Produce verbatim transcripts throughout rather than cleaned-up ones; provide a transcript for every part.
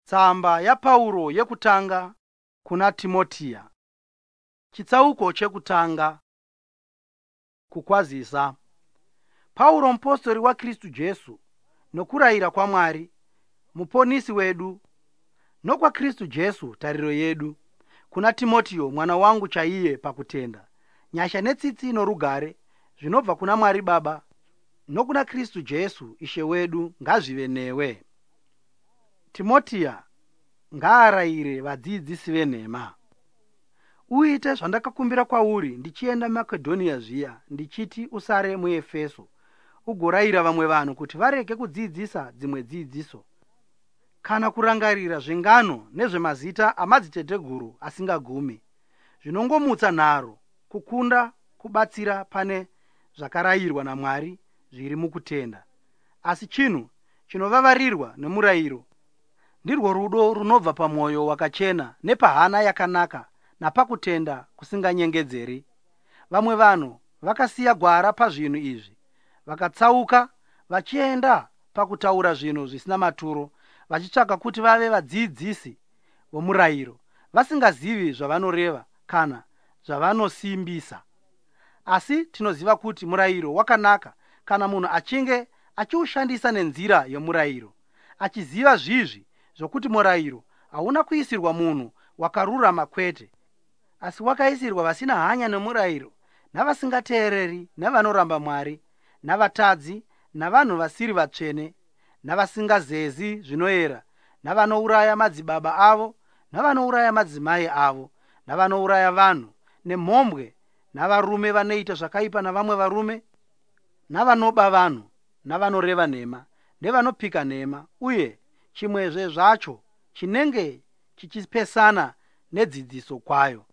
Tsamba yaPauro yekutanga kuna Timotiya. Chitsauko chekutanga. Kukwazisa. Pauro mupostori waKristu Jesu nokurayira kwaMwari muponisi wedu nokwaKristu Jesu tariro yedu kuna Timotiyo mwana wangu chaiye pakutenda. Nyasha netsitsi norugare zvinobva kuna Mwari Baba nokuna Kristu Jesu Ishe wedu ngazvive newe. Timotiya ngaarayire vadzidzisi venhema. Uite zvandakakumbira kwauri ndichienda Makedhonia zviya, ndichiti usare muEfeso, ugorayira vamwe vanhu kuti varege kudzidzisa dzimwe dzidziso, kana kurangarira zvengano nezvemazita amadziteteguru asingagumi, zvinongomutsa nharo kukunda kubatsira pane zvakarayirwa naMwari zviri mukutenda. Asi chinhu chinovavarirwa nemurayiro ndirwo rudo runobva pamwoyo wakachena nepahana yakanaka napakutenda kusinganyengedzeri. Vamwe vanhu vakasiya gwara pazvinhu izvi, vakatsauka vachienda pakutaura zvinhu zvisina maturo, vachitsvaka kuti vave vadzidzisi vomurayiro, vasingazivi zvavanoreva kana zvavanosimbisa. Asi tinoziva kuti murayiro wakanaka kana munhu achinge achiushandisa nenzira yomurayiro, achiziva zvizvi zvokuti murayiro hauna kuisirwa munhu wakarurama kwete, asi wakaisirwa vasina hanya nomurayiro, navasingateereri, navanoramba Mwari, navatadzi, navanhu vasiri vatsvene, navasingazezi zvinoera, navanouraya madzibaba avo, navanouraya madzimai avo, navanouraya vanhu, nemhombwe, navarume vanoita zvakaipa navamwe varume, navanoba vanhu, navanoreva nhema, nevanopika nhema, uye chimwezve zvacho chinenge chichipesana nedzidziso kwayo,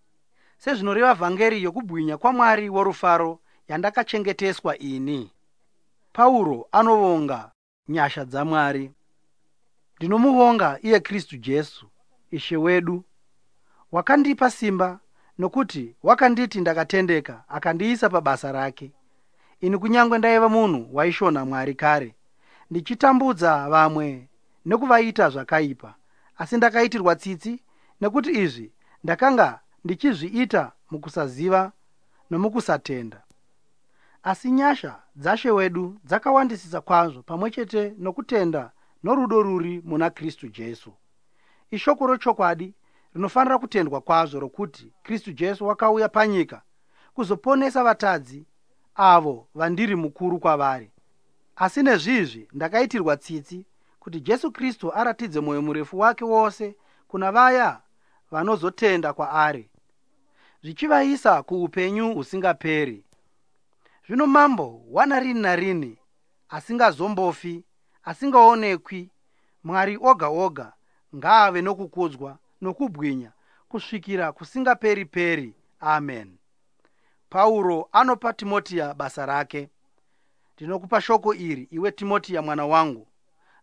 sezvinoreva vhangeri yokubwinya kwaMwari worufaro yandakachengeteswa ini. Pauro anovonga nyasha dzaMwari. Ndinomuvonga iye Kristu Jesu Ishe wedu, wakandipa simba, nokuti wakanditi ndakatendeka, akandiisa pabasa rake. Ini kunyange ndaiva munhu waishonha Mwari kare, ndichitambudza vamwe nekuvaita zvakaipa, asi ndakaitirwa tsitsi, nekuti izvi ndakanga ndichizviita mukusaziva nomukusatenda. Asi nyasha dzaShe wedu dzakawandisisa kwazvo pamwe chete nokutenda norudo ruri muna Kristu Jesu. Ishoko rochokwadi rinofanira kutendwa kwazvo rokuti Kristu Jesu wakauya panyika kuzoponesa vatadzi, avo vandiri mukuru kwavari. Asi nezvizvi ndakaitirwa tsitsi, kuti Jesu Kristu aratidze mwoyo murefu wake wose kuna vaya vanozotenda kwaari, zvichivaisa kuupenyu husingaperi. Zvino Mambo wanarini narini, asingazombofi, asingaonekwi, Mwari oga oga, ngaave nokukudzwa nokubwinya kusvikira kusingaperi-peri. Amen. Pauro anopa Timotiya basa rake. Ndinokupa shoko iri, iwe Timotiya mwana wangu,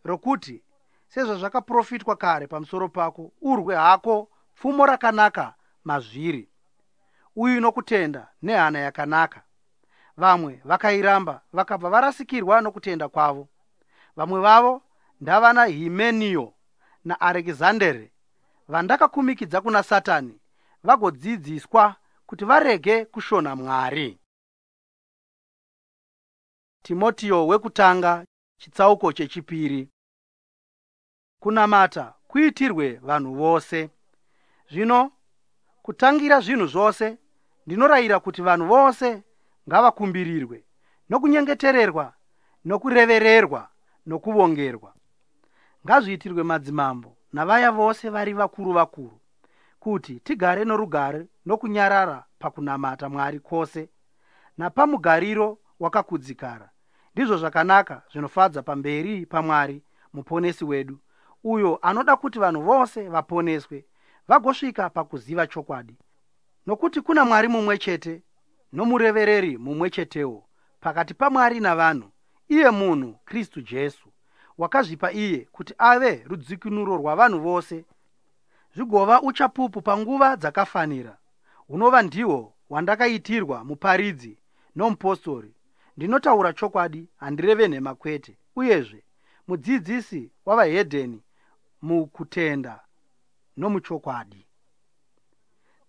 rokuti sezvazvakaprofitwa kare pamusoro pako, urwe hako pfumo rakanaka mazviri, uyu nokutenda nehana yakanaka. Vamwe vakairamba vakabva varasikirwa nokutenda kwavo. Vamwe vavo ndavana Himenio naArekizandere, vandakakumikidza kuna Satani, vagodzidziswa kuti varege kushonha Mwari. Timotiyo wekutanga chitsauko chechipiri. Kunamata kuitirwe vanhu vose. Zvino kutangira zvinhu zvose ndinorayira kuti vanhu vose ngavakumbirirwe, nokunyengetererwa, nokurevererwa, nokuvongerwa. Ngazviitirwe madzimambo navaya vose vari vakuru vakuru, kuti tigare norugare nokunyarara pakunamata Mwari kwose napamugariro wakakudzikara. Ndizvo zvakanaka zvinofadza pamberi paMwari muponesi wedu, uyo anoda kuti vanhu vose vaponeswe vagosvika pakuziva chokwadi. Nokuti kuna Mwari mumwe chete nomurevereri mumwe chetewo pakati paMwari navanhu, iye munhu Kristu Jesu, wakazvipa iye kuti ave rudzikinuro rwavanhu vose, zvigova uchapupu panguva dzakafanira, hunova ndihwo hwandakaitirwa muparidzi nomupostori. Ndinotaura chokwadi, handireve nhema kwete, uyezve mudzidzisi wavahedheni mukutenda nomuchokwadi.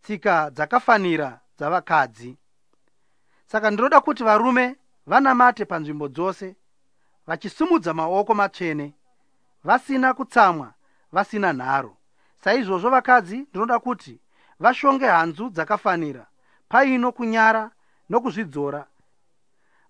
Tsika dzakafanira dzavakadzi. Saka ndinoda kuti varume vanamate panzvimbo dzose, vachisimudza maoko matsvene, vasina kutsamwa, vasina nharo. Saizvozvo vakadzi ndinoda kuti vashonge hanzu dzakafanira, paino kunyara nokuzvidzora,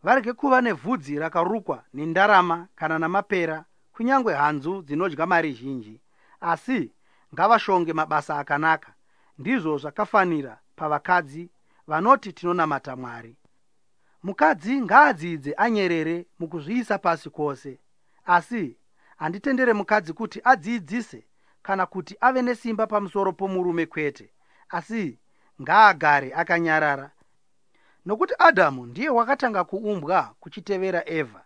varege kuva nevhudzi rakarukwa nendarama kana namapera, kunyange hanzu dzinodya mari zhinji, asi ngavashonge mabasa akanaka. Ndizvo zvakafanira pavakadzi vanoti tinonamata Mwari. Mukadzi ngaadzidze anyerere mukuzviisa pasi kwose. Asi handitendere mukadzi kuti adzidzise kana kuti ave nesimba pamusoro pomurume kwete, asi ngaagare akanyarara. Nokuti Adhamu ndiye wakatanga kuumbwa kuchitevera Evha.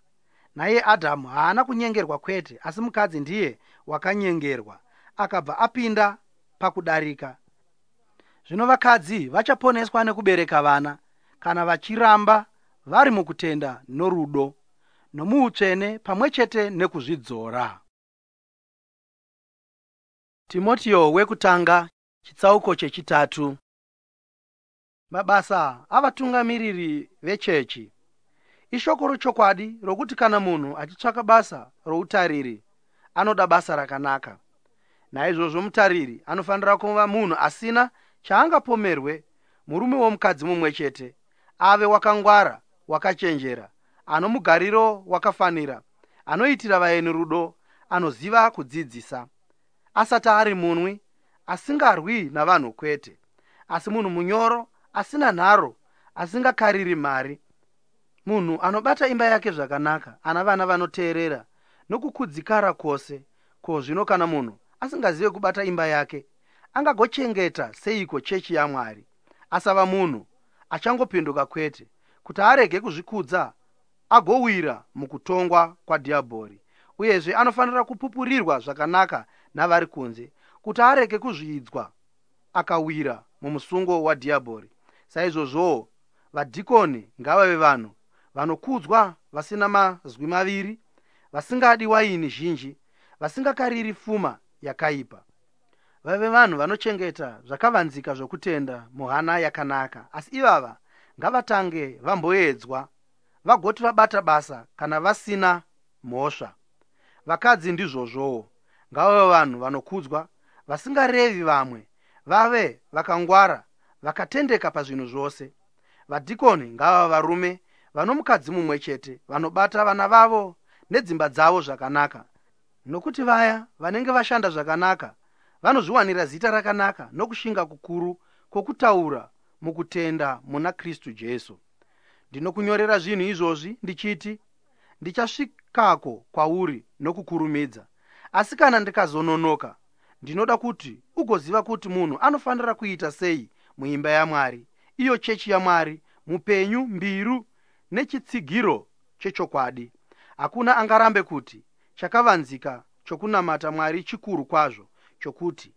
Naiye Adhamu haana kunyengerwa kwete, asi mukadzi ndiye wakanyengerwa akabva apinda pakudarika. Zvino vakadzi vachaponeswa nekubereka vana kana vachiramba vari mukutenda norudo nomuutsvene pamwe chete nekuzvidzora. Timotio wekutanga chitsauko chechitatu. Mabasa avatungamiriri vechechi. Ishoko rochokwadi rokuti kana munhu achitsvaka basa routariri anoda basa rakanaka. Naizvozvo mutariri anofanira kuva munhu asina chaangapomerwe, murume womukadzi mumwe chete, ave wakangwara, wakachenjera, ano mugariro wakafanira, anoitira vaeni rudo, anoziva kudzidzisa, asati ari munwi, asingarwi navanhu kwete, asi munhu munyoro, asina nharo, asingakariri mari, munhu anobata imba yake zvakanaka, ana vana vanoteerera nokukudzikara kwose. Ko zvino kana munhu asingazive kubata imba yake, angagochengeta seiko chechi yaMwari? Asava munhu achangopinduka kwete, kuti arege kuzvikudza agowira mukutongwa kwadhiabhori. Uyezve anofanira kupupurirwa zvakanaka navari kunze, kuti arege kuzvidzwa akawira mumusungo wadhiabhori. Saizvozvowo vadhikoni ngavave vanhu vanokudzwa, vasina mazwi maviri, vasingadi waini zhinji, vasingakariri fuma yakaipa. Vave vanhu vanochengeta zvakavanzika zvokutenda muhana yakanaka. Asi ivava ngavatange vamboedzwa, vagoti vabata basa kana vasina mhosva. Vakadzi ndizvozvowo, ngavave vanhu vanokudzwa, vasingarevi vamwe, vave vakangwara, vakatendeka pazvinhu zvose. Vadhikoni ngavave varume vano mukadzi mumwe chete, vanobata vana vavo nedzimba dzavo zvakanaka. Nokuti vaya vanenge vashanda zvakanaka vanozviwanira zita rakanaka nokushinga kukuru kwokutaura mukutenda muna Kristu Jesu. Ndinokunyorera zvinhu izvozvi ndichiti ndichasvikako kwauri nokukurumidza. Asi kana ndikazononoka, ndinoda kuti ugoziva kuti munhu anofanira kuita sei muimba yaMwari, iyo chechi yaMwari mupenyu, mbiru nechitsigiro chechokwadi. Hakuna angarambe kuti chakavanzika chokunamata Mwari chikuru kwazvo, chokuti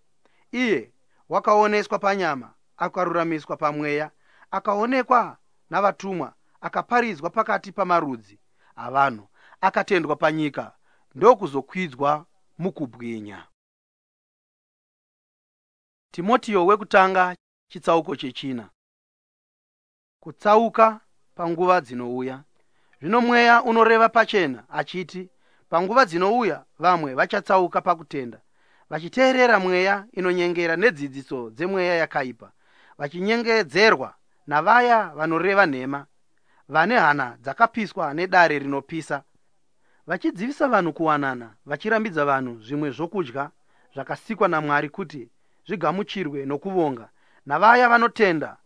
iye wakaoneswa panyama, akaruramiswa pamweya, akaonekwa navatumwa, akaparidzwa pakati pamarudzi avanhu, akatendwa panyika, ndokuzokwidzwa mukubwinya. Timotio wekutanga chitsauko chechina. Kutsauka panguva dzinouya. Zvino mweya unoreva pachena achiti panguva dzinouya vamwe vachatsauka pakutenda, vachiteerera mweya inonyengera nedzidziso dzemweya yakaipa, vachinyengedzerwa navaya vanoreva nhema, vane hana dzakapiswa nedare rinopisa, vachidzivisa vanhu kuwanana, vachirambidza vanhu zvimwe zvokudya zvakasikwa naMwari kuti zvigamuchirwe nokuvonga navaya vanotenda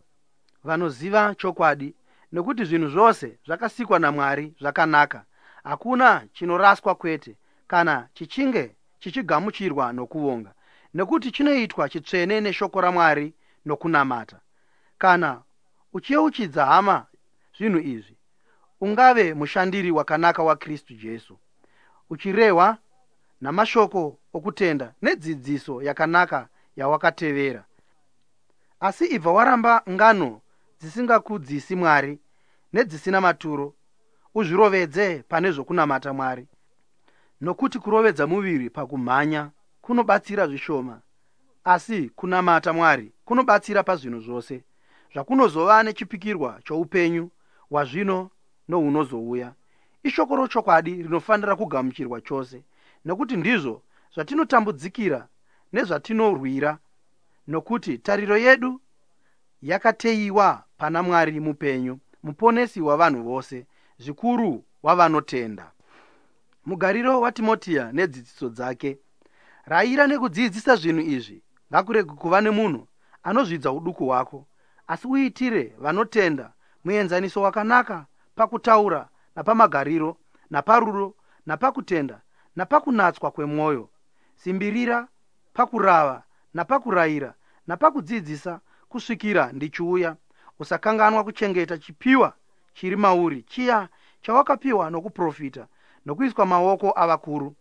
vanoziva chokwadi. Nokuti zvinhu zvose zvakasikwa naMwari zvakanaka, hakuna chinoraswa kwete, kana chichinge chichigamuchirwa nokuvonga, nekuti chinoitwa chitsvene neshoko raMwari nokunamata. Kana uchiyeuchidza hama zvinhu izvi, ungave mushandiri wakanaka waKristu Jesu, uchirehwa namashoko okutenda nedzidziso yakanaka yawakatevera. Asi ibva waramba ngano dzisingakudzisi Mwari nedzisina maturo, uzvirovedze pane zvokunamata Mwari. Nokuti kurovedza muviri pakumhanya kunobatsira zvishoma, asi kunamata Mwari kunobatsira pazvinhu zvose, zvakunozova nechipikirwa choupenyu hwazvino nohunozouya. Ishoko rochokwadi rinofanira kugamuchirwa chose, nokuti ndizvo zvatinotambudzikira nezvatinorwira, nokuti tariro yedu yakateiwa pana Mwari mupenyu, muponesi wavanhu vose, zvikuru wavanotenda. Mugariro waTimotiya nedzidziso dzake. Rayira nekudzidzisa zvinhu izvi. Ngakurege kuva nemunhu anozvidza uduku hwako, asi uitire vanotenda muenzaniso wakanaka pakutaura napamagariro, naparudo, napakutenda, napakunatswa kwemwoyo. Simbirira pakurava napakurayira napakudzidzisa kusvikira ndichiuya. Usakanganwa kuchengeta chipiwa chiri mauri, chiya chawakapiwa nokuprofita nokuiswa maoko avakuru.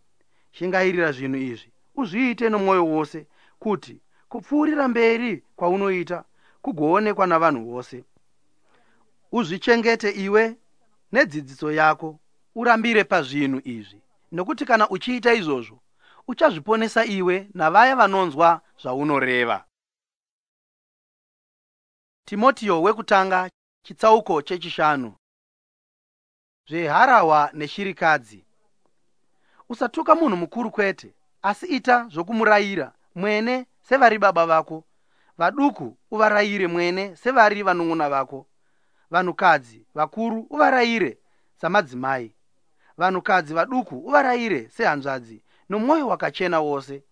Shingairira zvinhu izvi, uzviite nomwoyo wose, kuti kupfuurira mberi kwaunoita kugoonekwa navanhu vose. Uzvichengete iwe nedzidziso yako, urambire pazvinhu izvi, nokuti kana uchiita izvozvo uchazviponesa iwe navaya vanonzwa zvaunoreva. Timotiyo wekutanga chitsauko chechishanu. Zveharahwa neshirikadzi. Usatuka munhu mukuru kwete, asi ita zvokumurayira mwene sevari baba vako, vaduku uvarayire mwene sevari vanun'una vako, vanhukadzi vakuru uvarayire samadzimai, vanhukadzi vaduku uvarayire sehanzvadzi nomwoyo wakachena wose.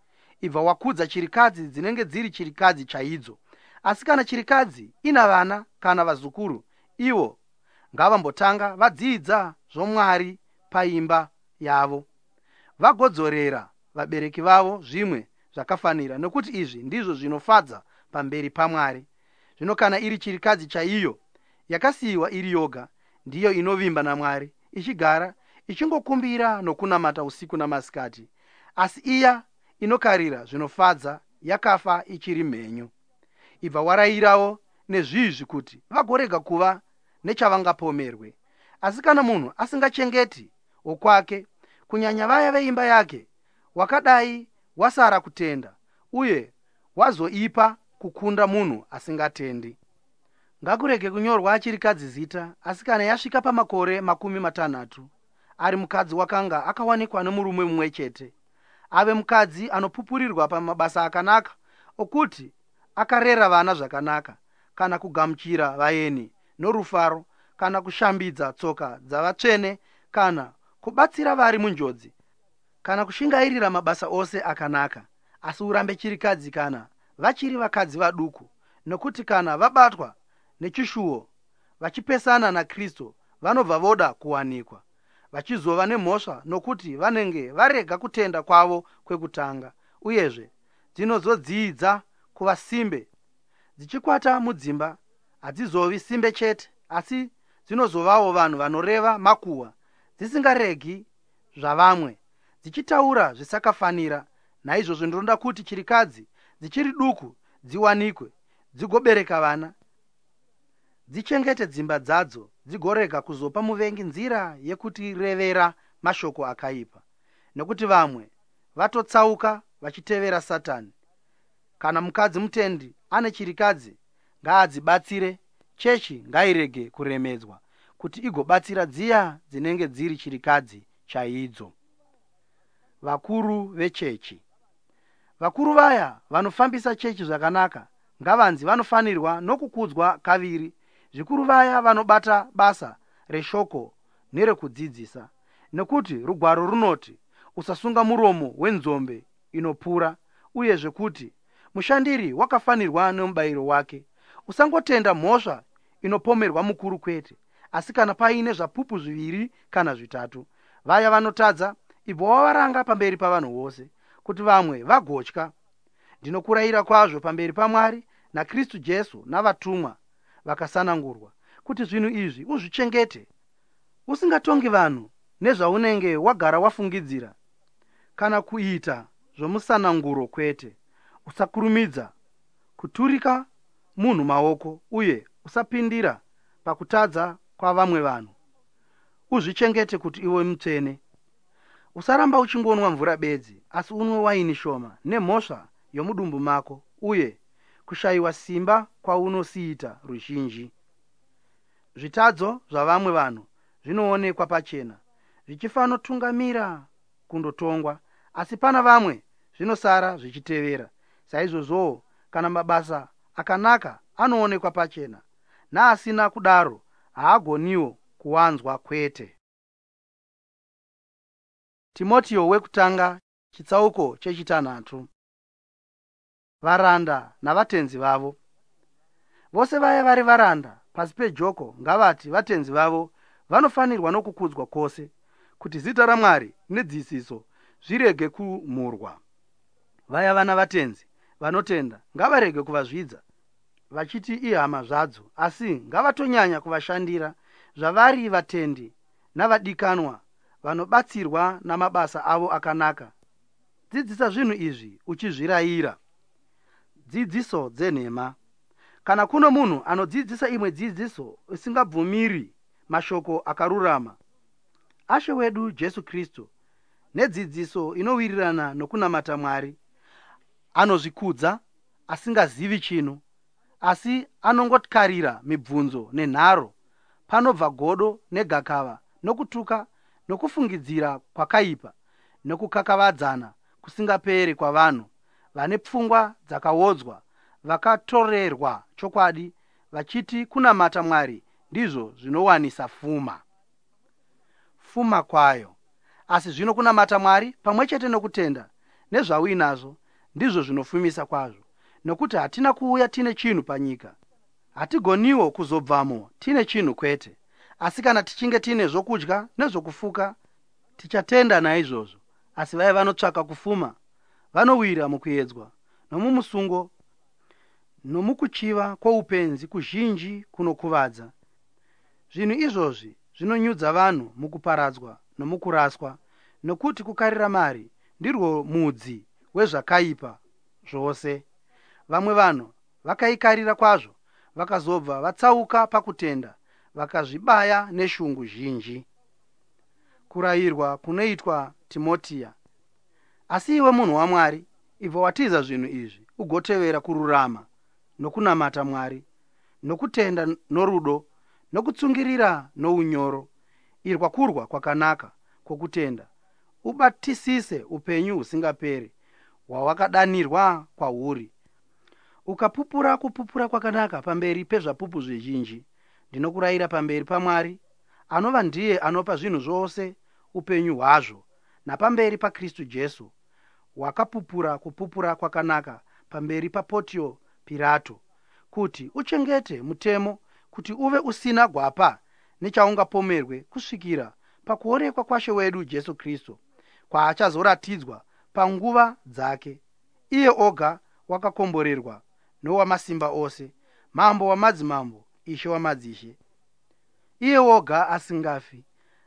Ibva wakudza chirikadzi dzinenge dziri chirikadzi chaidzo. Asi kana chirikadzi ina vana kana vazukuru, ivo ngavambotanga vadzidza zvomwari paimba yavo, vagodzorera vabereki vavo zvimwe zvakafanira, nokuti izvi ndizvo zvinofadza pamberi paMwari. Zvino kana iri chirikadzi chaiyo yakasiyiwa iri yoga, ndiyo inovimba naMwari, ichigara ichingokumbira nokunamata usiku namasikati. Asi iya inokarira zvinofadza yakafa ichiri mhenyu. Ibva warayirawo nezvizvi kuti vagorega kuva nechavangapomerwe. Asi kana munhu asingachengeti wokwake, kunyanya vaya veimba yake, wakadai wasara kutenda uye wazoipa kukunda munhu asingatendi. Ngakurege kunyorwa chirikadzi zita, asi kana yasvika pamakore makumi matanhatu, ari mukadzi wakanga akawanikwa nomurume mumwe chete, ave mukadzi anopupurirwa pamabasa akanaka okuti akarera vana zvakanaka, kana kugamuchira vaeni norufaro, kana kushambidza tsoka dzavatsvene, kana kubatsira vari munjodzi, kana kushingairira mabasa ose akanaka. Asi urambe chirikadzi kana vachiri vakadzi vaduku, nokuti kana vabatwa nechishuwo vachipesana naKristu, vanobva voda kuwanikwa vachizova nemhosva, nokuti vanenge varega kutenda kwavo kwekutanga. Uyezve dzinozodzidza kuva simbe dzichikwata mudzimba. Hadzizovi simbe chete, asi dzinozovawo vanhu vanoreva makuhwa, dzisingaregi zvavamwe, dzichitaura zvisakafanira. Naizvozvo ndinoda kuti chirikadzi dzichiri duku dziwanikwe, dzigobereka vana, dzichengete dzimba dzadzo, dzigorega kuzopa muvengi nzira yekutirevera mashoko akaipa, nokuti vamwe vatotsauka vachitevera Satani. Kana mukadzi mutendi ane chirikadzi, ngaadzibatsire. Chechi ngairege kuremedzwa, kuti igobatsira dziya dzinenge dziri chirikadzi chaidzo. Vakuru vechechi. Vakuru vaya vanofambisa chechi zvakanaka ngavanzi vanofanirwa nokukudzwa kaviri, zvikuru vaya vanobata basa reshoko nerekudzidzisa. Nekuti rugwaro runoti, usasunga muromo wenzombe inopura, uyezve kuti mushandiri wakafanirwa nomubayiro wake. Usangotenda mhosva inopomerwa mukuru kwete, asi kana paine zvapupu zviviri kana zvitatu. Vaya vanotadza ibva wavaranga pamberi pavanhu vose, kuti vamwe vagotya. Ndinokurayira kwazvo pamberi paMwari naKristu Jesu navatumwa vakasanangurwa, kuti zvinhu izvi uzvichengete, usingatongi vanhu nezvaunenge wagara wafungidzira, kana kuita zvomusananguro kwete. Usakurumidza kuturika munhu maoko, uye usapindira pakutadza kwavamwe vanhu. Uzvichengete kuti iwe mutsvene. Usaramba uchingonwa mvura bedzi, asi unwe waini shoma nemhosva yomudumbu mako uye kushayiwa simba kwaunosiita ruzhinji. Zvitadzo zvavamwe vanhu zvinoonekwa pachena, zvichifanotungamira kundotongwa, asi pana vamwe zvinosara zvichitevera. Saizvozvowo kana mabasa akanaka anoonekwa pachena, naasina kudaro haagoniwo kuwanzwa kwete. Timotio wekutanga chitsauko chechitanhatu. Varanda navatenzi vavo. Vose vaya vari varanda pasi pejoko ngavati vatenzi vavo vanofanirwa nokukudzwa kwose, kuti zita raMwari nedzidziso zvirege kumhurwa. Vaya vana vatenzi vanotenda ngavarege kuvazvidza vachiti ihama zvadzo, asi ngavatonyanya kuvashandira zvavari vatendi navadikanwa vanobatsirwa namabasa avo akanaka. Dzidzisa zvinhu izvi uchizvirayira. Dzidziso dzenhema. Kana kuno munhu anodzidzisa imwe dzidziso isingabvumiri mashoko akarurama aShe wedu Jesu Kristu nedzidziso inowirirana nokunamata Mwari, anozvikudza asingazivi chinhu, asi anongotkarira mibvunzo nenharo, panobva godo negakava nokutuka nokufungidzira kwakaipa nokukakavadzana kusingaperi kwavanhu vane pfungwa dzakaodzwa, vakatorerwa chokwadi, vachiti kunamata Mwari ndizvo zvinowanisa fuma. Fuma kwayo. Asi zvino kunamata Mwari pamwe chete nokutenda nezvauinazvo ndizvo zvinofumisa kwazvo, nokuti hatina kuuya tine chinhu panyika, hatigoniwo kuzobvamo tine chinhu kwete. Asi kana tichinge tine zvokudya nezvokufuka, tichatenda naizvozvo. Asi vaya vanotsvaka kufuma vanowira mukuedzwa nomumusungo nomukuchiva kwoupenzi kuzhinji kunokuvadza. Zvinhu izvozvi zvinonyudza vanhu mukuparadzwa nomukuraswa, nokuti kukarira mari ndirwo mudzi wezvakaipa zvose. Vamwe vanhu vakaikarira kwazvo, vakazobva vatsauka pakutenda, vakazvibaya neshungu zhinji. Kurayirwa kunoitwa Timotiya. Asi iwe munhu waMwari, ibva watiza zvinhu izvi, ugotevera kururama nokunamata Mwari, nokutenda norudo, nokutsungirira nounyoro. Irwa kurwa kwakanaka kwokutenda, ubatisise upenyu husingaperi hwawakadanirwa kwahuri, ukapupura kupupura kwakanaka pamberi pezvapupu zvizhinji. Ndinokurayira pamberi paMwari, anova ndiye anopa zvinhu zvose upenyu hwazvo, napamberi paKristu Jesu, wakapupura kupupura kwakanaka pamberi paPotio Pirato, kuti uchengete mutemo, kuti uve usina gwapa nechaungapomerwe kusvikira pakuonekwa kwaShe wedu Jesu Kristu, kwaachazoratidzwa panguva dzake. Iye oga wakakomborerwa nowamasimba ose, mambo wamadzimambo, Ishe wamadzishe. Iye woga asingafi,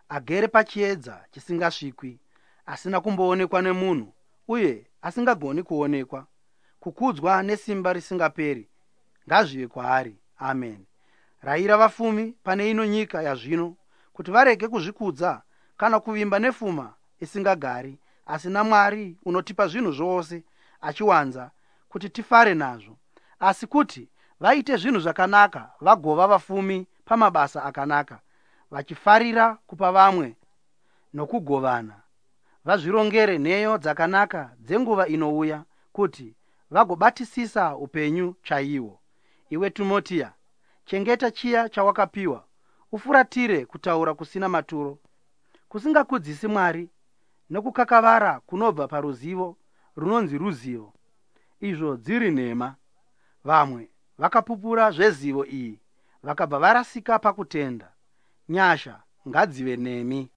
agere pachiedza chisingasvikwi, asina kumboonekwa nemunhu uye asingagoni kuonekwa, kukudzwa nesimba risingaperi ngazvive kwaari. Amen. Rayira vafumi pane ino nyika yazvino kuti varege kuzvikudza kana kuvimba nefuma isingagari, asi naMwari unotipa zvinhu zvose achiwanza kuti tifare nazvo, asi kuti vaite zvinhu zvakanaka, vagova vafumi pamabasa akanaka, vachifarira kupa vamwe nokugovana. Vazvirongere nheyo dzakanaka dzenguva inouya, kuti vagobatisisa upenyu chaihwo. Iwe Timotiya, chengeta chiya chawakapiwa, ufuratire kutaura kusina maturo, kusingakudzisi Mwari, nokukakavara kunobva paruzivo runonzi ruzivo, izvo dziri nhema. Vamwe vakapupura zvezivo iyi vakabva varasika pakutenda. Nyasha ngadzive nemi.